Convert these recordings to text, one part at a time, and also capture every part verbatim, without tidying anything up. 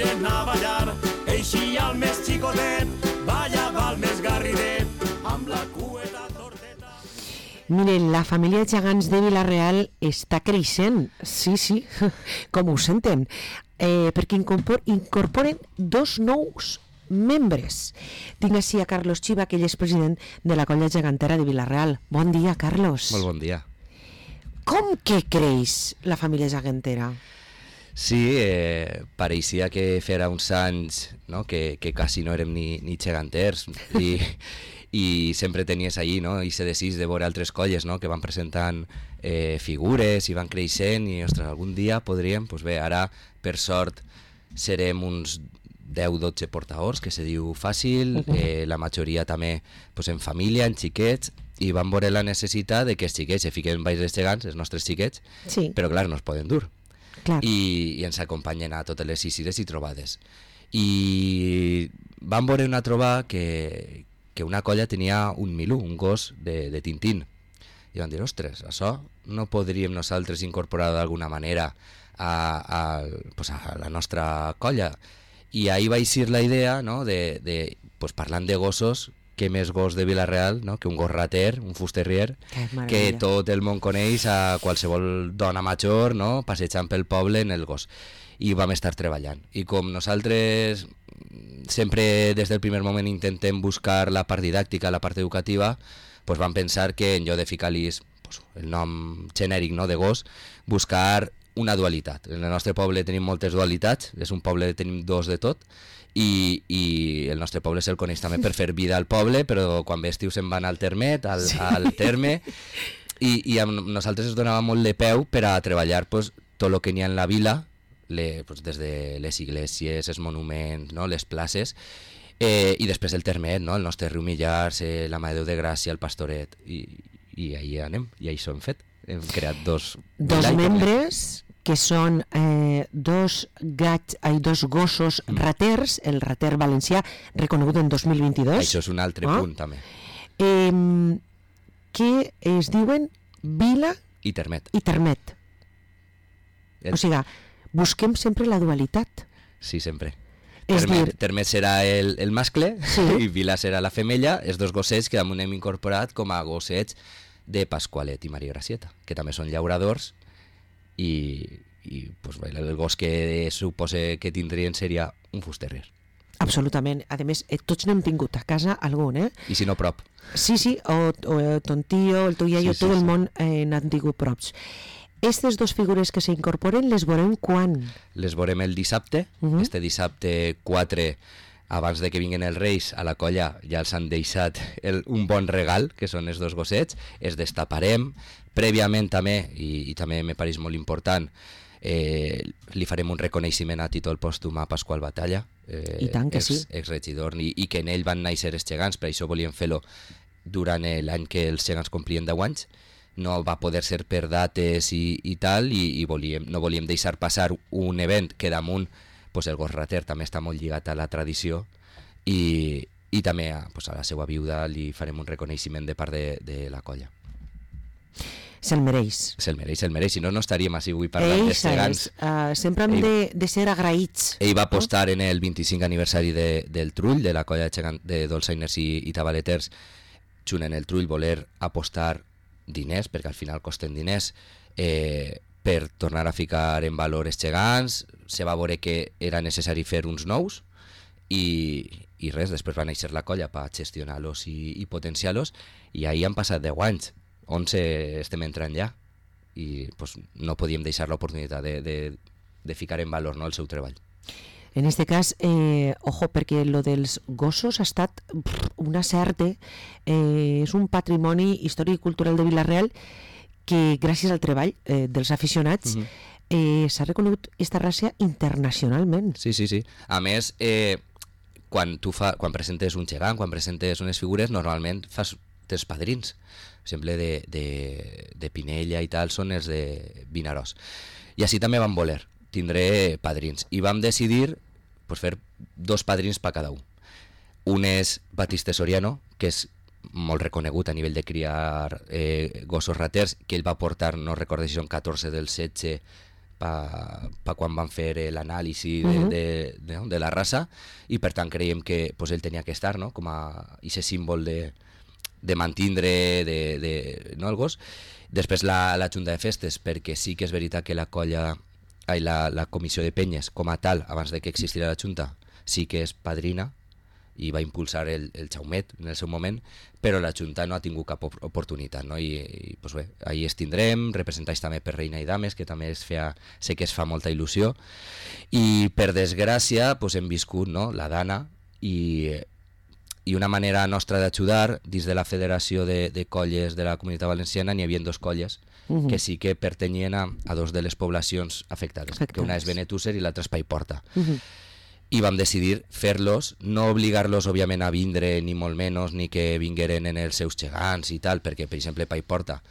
tiren a ballar, eixi al més xicotet, balla val més garridet, amb la cueta torteta. Miren, la família de gegants de Vila-real està creixent, sí, sí, com ho senten, eh, perquè incorpor, incorporen dos nous membres. Tinc així a Carlos Chiva, que ell és president de la colla gegantera de Vila-real. Bon dia, Carlos. Molt bon dia. Com que creix la família gegantera? Sí, eh, pareixia que fera uns anys, no? que, que quasi no érem ni, ni geganters i, i sempre tenies allí, no? I se desís de veure altres colles, no? Que van presentant eh, figures i van creixent i, ostres, algun dia podríem, doncs bé, ara per sort serem uns deu dotze portadors, que se diu fàcil, uh-huh. eh, la majoria també pues, en família, en xiquets, i van veure la necessitat de que els xiquets se fiquen baix dels gegants, els nostres xiquets, sí. Però clar, no es poden dur. Clar. I, i ens acompanyen a totes les isires i trobades. I van veure una trobada que, que una colla tenia un milú, un gos de, de Tintín. I van dir, ostres, això no podríem nosaltres incorporar d'alguna manera a, a, pues a la nostra colla. I ahir va eixir la idea, no, de, de pues, parlant de gossos, que més gos de Vila-real, no, que un gos rater, un fusterrier, que tot el món coneix, a qualsevol dona major, no, passejant pel poble en el gos. I vam estar treballant. I com nosaltres sempre des del primer moment intentem buscar la part didàctica, la part educativa, pues vam pensar que en lloc de ficar-li pues, el nom genèric, no, de gos, buscar una dualitat. En el nostre poble tenim moltes dualitats, és un poble que tenim dos de tot, i, i el nostre poble se'l coneix també per fer vida al poble, però quan ve estiu se'n van al termet, al, sí. al terme, i, i amb nosaltres ens donava molt de peu per a treballar pues, tot el que n'hi ha en la vila, le, pues, des de les iglesias, els monuments, no, les places, eh, i després el termet, no, el nostre riu Millars, eh, la Mare de Déu de Gràcia, el Pastoret, i, i ahí anem, i això hem fet. Hem creat dos... Dos membres que són eh, dos, gats, ai, dos gossos mm. raters, el rater valencià reconegut en dos mil vint-i-dos. Això és un altre oh? punt també. Eh, que es diuen Vila i Termet. I Termet. El... O sigui, busquem sempre la dualitat. Sí, sempre. És Termet, dir... Termet serà el, el mascle, sí. I Vila serà la femella, els dos gossets que damunt hem incorporat com a gossets de Pasqualet i Maria Gracieta, que també són llauradors, i, i pues, el gos que supose que tindrien seria un fusterrier. Absolutament. A més, eh, tots n'hem tingut a casa algun, eh? I si no prop. Sí, sí, o, o ton tio, el teu iaio, sí, sí, tot el sí. món eh, n'han tingut props. Aquestes dues figures que s'incorporen les veurem quan? Les veurem el dissabte, uh-huh. este dissabte quatre, abans de que vinguin els Reis a la colla, ja els han deixat el, un bon regal, que són els dos gossets, els destaparem, prèviament també, i, i també me pareix molt important, eh, li farem un reconeixement a títol pòstum a Pasqual Batalla, eh, I tant que ex, sí. exregidor, i, i que en ell van néixer els gegants, per això volíem fer-lo durant l'any que els gegants complien deu anys, no va poder ser per dates i, i tal, i, i volíem, no volíem deixar passar un event que damunt pues el gos rater també està molt lligat a la tradició, i, i també a, pues a la seva viuda li farem un reconeixement de part de, de la colla. Se'l mereix. Se'l mereix, se'l mereix, si no, no estaríem així avui parlant dels gegants. Uh, sempre hem ell, de, de ser agraïts. Ell va apostar no? en el vint-i-cinc aniversari de, del Trull, de la colla de, gegant, de dolçainers i, i tabaleters, junt en el Trull voler apostar diners, perquè al final costen diners, eh, per tornar a ficar en valor els gegants. Se va veure que era necessari fer uns nous i, i res, després va néixer la colla per gestionar-los i, i potenciar-los, i ahir han passat deu anys, onze estem entrant ja, i pues, no podíem deixar l'oportunitat de, de, de ficar en valor, no, el seu treball. En este cas, eh, ojo, perquè lo dels gossos ha estat un acerte, eh, és un patrimoni històric i cultural de Vila-real que gràcies al treball eh, dels aficionats uh-huh. eh, s'ha reconegut aquesta raça internacionalment. Sí, sí, sí. A més, eh, quan tu fa, quan presentes un gegant, quan presentes unes figures, normalment fas els padrins. Per exemple, de, de, de Pinella i tal, són els de Vinaròs. I així també vam voler, tindré padrins. I vam decidir pues, fer dos padrins per cada un. Un és Batiste Soriano, que és molt reconegut a nivell de criar eh, gossos raters, que ell va portar, no recordo si són catorze del setze, pa, pa quan van fer l'anàlisi de, Mhm. de, de, de la raça, i per tant creiem que pues, ell tenia que estar, no?, com a aquest símbol de, de mantindre de, de, no, el gos. Després la, la Junta de Festes, perquè sí que és veritat que la colla, ai, la, la comissió de penyes com a tal, abans de que existira la Junta, sí que és padrina i va impulsar el, el Jaumet en el seu moment, però la Junta no ha tingut cap op- oportunitat, no? I, i pues bé, ahí es tindrem, representats també per Reina i Dames, que també es feia, sé que es fa molta il·lusió, i per desgràcia pues, hem viscut, no?, la Dana, i, i una manera nostra d'ajudar, dins de la Federació de, de Colles de la Comunitat Valenciana n'hi havia dos colles Mhm. que sí que pertanyien a, a dos de les poblacions afectades, Afectades. que una és Benetússer i l'altra és Paiporta. Mhm. I vam decidir fer-los, no obligar-los òbviament a vindre ni molt menys, ni que vingueren en els seus gegants i tal, perquè per exemple Paiporta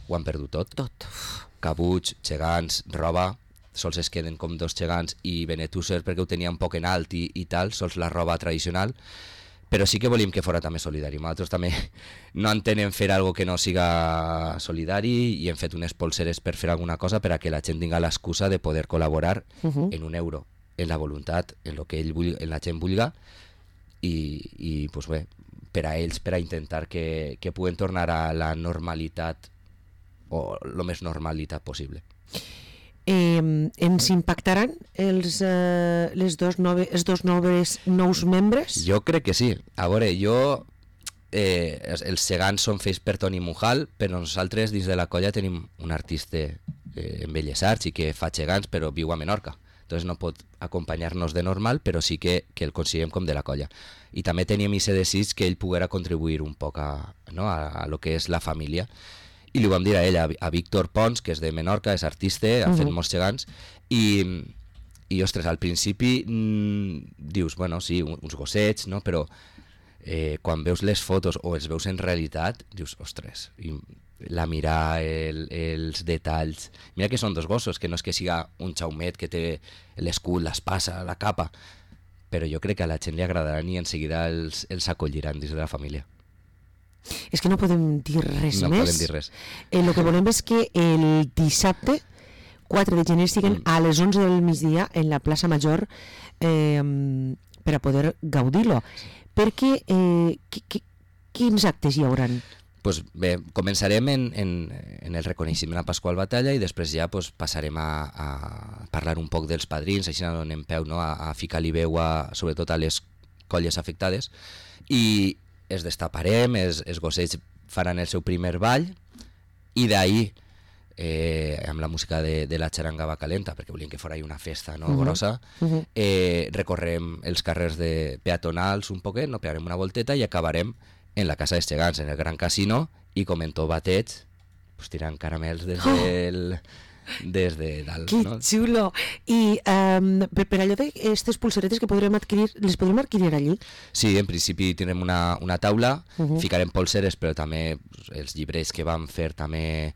ho han perdut tot, Tot. cabuts, gegants, roba, sols es queden com dos gegants, i Benetússer perquè ho tenia un poc en alt i, i tal, sols la roba tradicional, però sí que volíem que fora també solidari. Nosaltres també no entenem fer algo que no siga solidari, i hem fet unes polseres per fer alguna cosa per a que la gent tinga l'excusa de poder col·laborar Mhm. en un euro, en la voluntat, en lo que ell vulgui, en la gent vulga, i, i pues bé, per a ells, per a intentar que, que puguen tornar a la normalitat, o el més normalitat possible. Eh, ens impactaran els, eh, les dos nove, els dos noves, nous membres? Jo crec que sí. A veure, jo... Eh, els, els gegants són fets per Toni Mujal, però nosaltres dins de la colla tenim un artista eh, en Belles Arts i que fa gegants, però viu a Menorca. Entonces no pot acompanyar-nos de normal, però sí que, que el considerem com de la colla. I també teníem aquest desig que ell poguera contribuir un poc a, no, a, a lo que és la família. I li ho vam dir a ell, a, a Víctor Pons, que és de Menorca, és artista, ha fet Mhm. molts gegants, i, i ostres, al principi mm, dius, bueno, sí, un- uns gossets, no? Però eh, quan veus les fotos o els veus en realitat, dius, ostres, i la mirada, el, els detalls... Mira que són dos gossos, que no és que siga un Jaumet que té l'escut, l'espasa, la capa, però jo crec que a la gent li agradaran i en seguida els, els acolliran dins de la família. És que no podem dir res No més. podem dir res. Eh, el que volem és que el dissabte quatre de gener estiguen Mm. a les onze del migdia en la plaça Major eh, per a poder gaudir-lo. Perquè eh, qui, qui, quins actes hi hauran? Pues bé, començarem en, en, en el reconeixement a Pasqual Batalla i després ja pues, passarem a, a parlar un poc dels padrins, així no donem peu, no? a, a ficar-li veu a, sobretot a les colles afectades, i es destaparem, els, els gossets faran el seu primer ball, i d'ahir eh, amb la música de, de la xaranga va calenta, perquè volíem que fora una festa, no, Mhm. grossa, Mhm. eh, recorrem els carrers de peatonals un poquet, no, pegarem una volteta i acabarem en la Casa dels Gegants, en el Gran Casino, i com en tot bateig, pues, tirant caramels des, Oh! del, des de dalt. Que No? xulo! I um, per, per allò d'aquestes pulseretes que podrem adquirir, les podrem adquirir allí? Sí, en principi tindrem una, una taula, Mhm. ficarem polseres, però també pues, els llibres que vam fer també,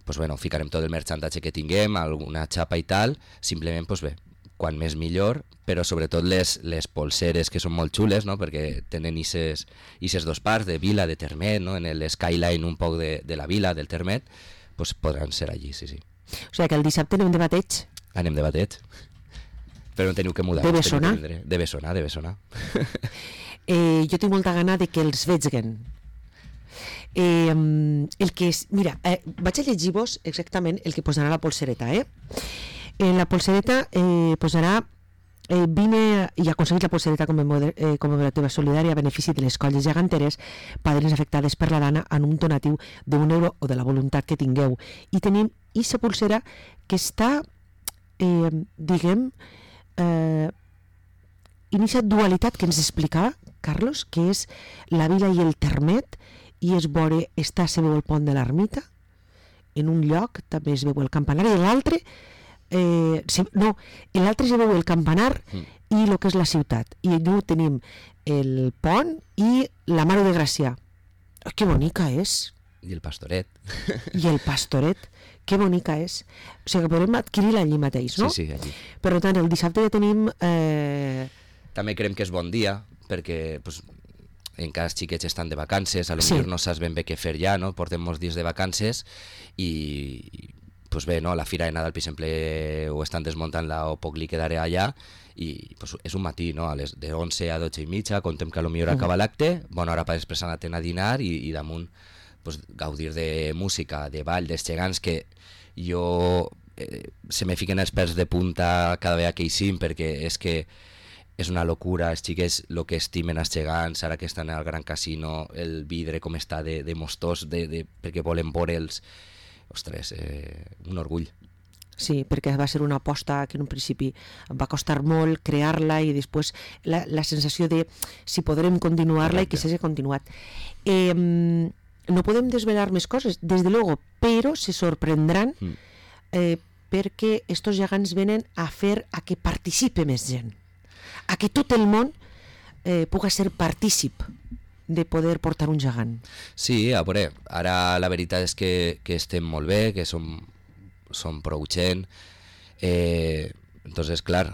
pues, bueno, ficarem tot el merchandatge que tinguem, alguna xapa i tal, simplement, pues, bé, quan més millor, però sobretot les, les polseres que són molt xules, no? Perquè tenen ises, ises dos parts de vila, de Termet, no? En el skyline un poc de, de la vila, del Termet, pues, podran ser allí, sí, sí. O sigui que el dissabte anem de bateig. Anem de bateig. Però no teniu que mudar. De us teniu que Bessona? vindre. De Bessona, de Bessona. Eh, jo tinc molta gana de que els veguen. Eh, el que és, mira, eh, vaig a llegir-vos exactament el que posarà la polsereta, eh? En la polsereta eh, posarà eh, vine i aconseguit la polsereta commemora- eh, commemorativa solidària a benefici de les colles geganteres, padrins afectades per la dana, en un donatiu d'un euro o de la voluntat que tingueu. I tenim aquesta polsera que està, eh, diguem, eh, en aquesta dualitat que ens explicava Carlos, que és la vila i el Termet, i es veure, està, se veu el pont de l'ermita, en un lloc també es veu el campanar, i l'altre, eh, se, no, en l'altre se veu el campanar Mm. i el que és la ciutat. I allà tenim el pont i la Mare de Gràcia. Oh, que bonica és! I el pastoret. I el pastoret, que bonica és. O sigui que podem adquirir-la allí mateix, no? Sí, sí, allí. Per tant, el dissabte ja tenim... Eh, També creiem que és bon dia, perquè pues, encara els xiquets estan de vacances, a lo Sí. millor no saps ben bé què fer ja, no? Portem molts dies de vacances i, i pues bé, no? La Fira de Nadal, per exemple, ho estan desmuntant-la o poc li quedaré allà, i pues, és un matí, no? A les de onze a dotze i mitja, contem que potser acaba l'acte, bona hora per després anar a dinar i, i damunt pues, gaudir de música, de ball, dels gegants, que jo eh, se me fiquen els pèls de punta cada vegada que hi sim, perquè és que és una locura, els xiquets el que estimen els gegants, ara que estan al Gran Casino, el vidre com està de, de mostós, de, de, perquè volen veure'ls. Ostres, eh, un orgull. Sí, perquè va ser una aposta que en un principi va costar molt crear-la i després la, la sensació de si podrem continuar-la i que s'hagi continuat. Eh, no podem desvelar més coses, des de luego, però se sorprendran mm. eh, perquè estos gegants venen a fer a que participe més gent, a que tot el món eh, puga ser partícip de poder portar un gegant. Sí, a veure, ara la veritat és que, que estem molt bé, que som, som prou gent, eh, entonces, clar,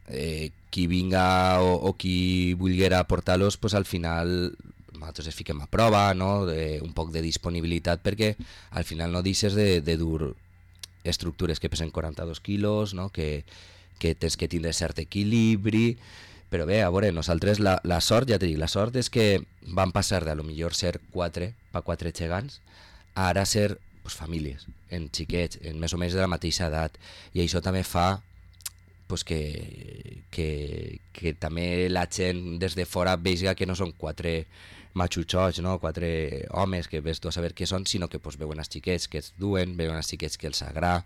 eh, qui vinga o, o qui vulguera portar-los, pues al final nosaltres es fiquem a prova, no? De, un poc de disponibilitat, perquè al final no deixes de, de dur estructures que pesen quaranta-dos quilos, no? que, que tens que tindre cert equilibri, però bé, a veure, nosaltres la, la sort, ja t'he dit, la sort és que van passar de a lo millor ser quatre, pa quatre gegants, a ara ser pues, famílies, en xiquets, en més o menys de la mateixa edat, i això també fa pues, que, que, que també la gent des de fora vegi que no són quatre matxutxots, no? Quatre homes que ves tu a saber què són, sinó que pues, veuen els xiquets que els duen, veuen els xiquets que els agrada.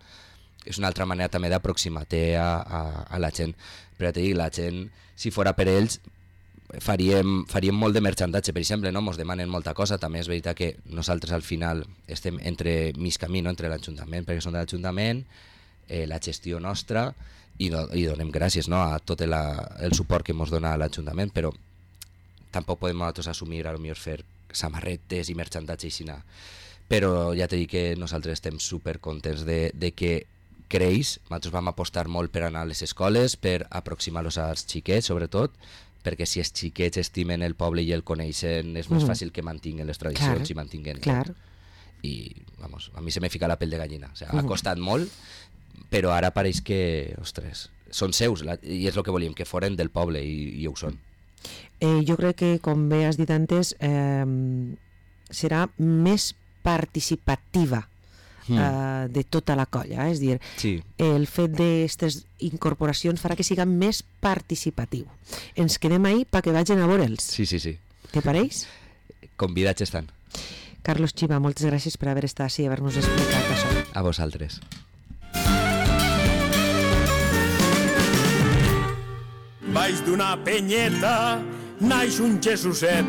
És una altra manera també d'aproximar-te a, a, a la gent. Però ja t'he dit, la gent, si fora per ells, faríem, faríem molt de merchandatge, per exemple, no? Mos demanen molta cosa. També és veritat que nosaltres al final estem entre mig camí, no? Entre l'Ajuntament, perquè som de l'Ajuntament, eh, la gestió nostra, i, no, i donem gràcies, no? A tot la, el suport que ens dona l'Ajuntament, però tampoc podem nosaltres assumir a lo millor fer samarretes i merchandatge i així. Però ja t'he dit que nosaltres estem supercontents de, de que creix. Nosaltres vam apostar molt per anar a les escoles, per aproximar-los als xiquets, sobretot, perquè si els xiquets estimen el poble i el coneixen, és més mm. fàcil que mantinguen les tradicions clar, i mantinguen... Clar. I, vamos, a mi se me fica la pell de gallina. O sea, mm. ha costat molt, però ara pareix que, ostres, són seus, la, i és el que volíem, que foren del poble, i, i ho són. Eh, jo crec que, com bé has dit antes, eh, serà més participativa mm. eh, de tota la colla, eh? És dir, sí. El fet d'aquestes incorporacions farà que siga més participatiu. Ens quedem ahí perquè vagin a veure'ls. Sí, sí, sí. Te pareix? Convidats estan. Carlos Chiva, moltes gràcies per haver estat així i haver-nos explicat això. A vosaltres. Baix d'una penyeta naix un Jesuset.